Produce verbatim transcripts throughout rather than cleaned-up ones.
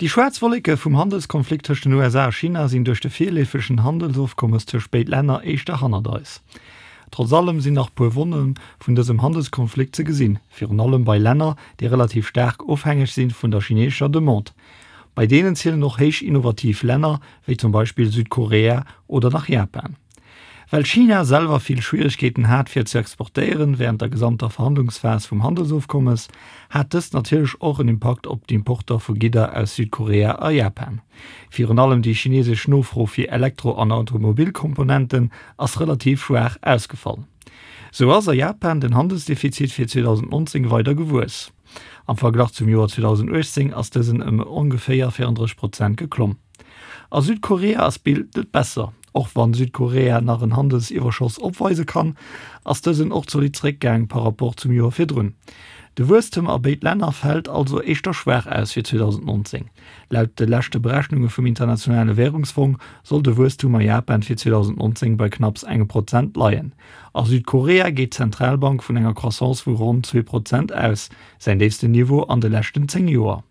Déi schwaarz Wolleke vum Handelskonflikt tëscht den U S A a China sinn duerch de virleefegen Handelsofkommes tëscht béid Länner éischter hannert eis. Trotz allem sinn nach puer Wonne vun dësem Handelskonflikt ze gesinn, virun allem bei Länner, déi relativ staark ofhängeg si vun der chineesescher Demande. Bei deenen zielen och héich innovativ Länner, wéi zum Beispill Südkorea oder nach Japan. Well China selwer vill Schwieregkeeten hat fir ze exportéieren wärend der gesamter Verhandlungsphas vum Handelsofkommes, hat dëst natierlech och en Impakt op d'Importer vu Gidder aus Südkorea a Japan. Virun allem déi chinesesch Nofro fir Elektro an Automobilkomponenten ass relativ schwaach ausgefall. Sou ass a Japan den Handelsdefizit fir zweedausendnonzéng weider gewuess. Am Verglach zum Joer zweedausenduechtzéng ass dësen ëm ongeféier véierunddrësseg Prozent geklomm. A Südkorea ass d'Bild net besser. Och wann Südkorea nach en Handelsiwwerschoss opweise kann, ass dësen och zolidd zeréckgaang par rapport zum Joer virdrun. De Wuesstem a béid Länner fält also éischter schwaach aus fir zweedausendnonzéng. Laut de leschte Berechnunge vum Internationale Wärungsfong soll de Wuesstum a Japan fir zweedausendnonzéng bei knapps engem Prozent leien. A Südkorea geet d'Zentralbank vun enger Croissance vu ronn zwee Prozent aus, säin déifsten Niveau an de leschten zéng Joer.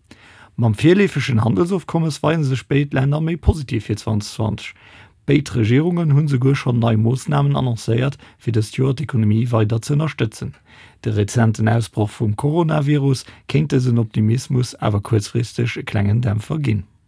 Mam virleefegen Handelsofkommes weise sech béid Länner méi positiv fir zweedausendzwanzeg. Béid Regierungen hunn souguer schonn nei Moossnamen annoncéiert, fir dëst Joer d'Ekonomie weider ze ënnerstëtzen. De rezenten Ausbroch vum Coronavirus kéint dësen Optimismus awer kuerzfristeg e klengen Dämpfer ginn.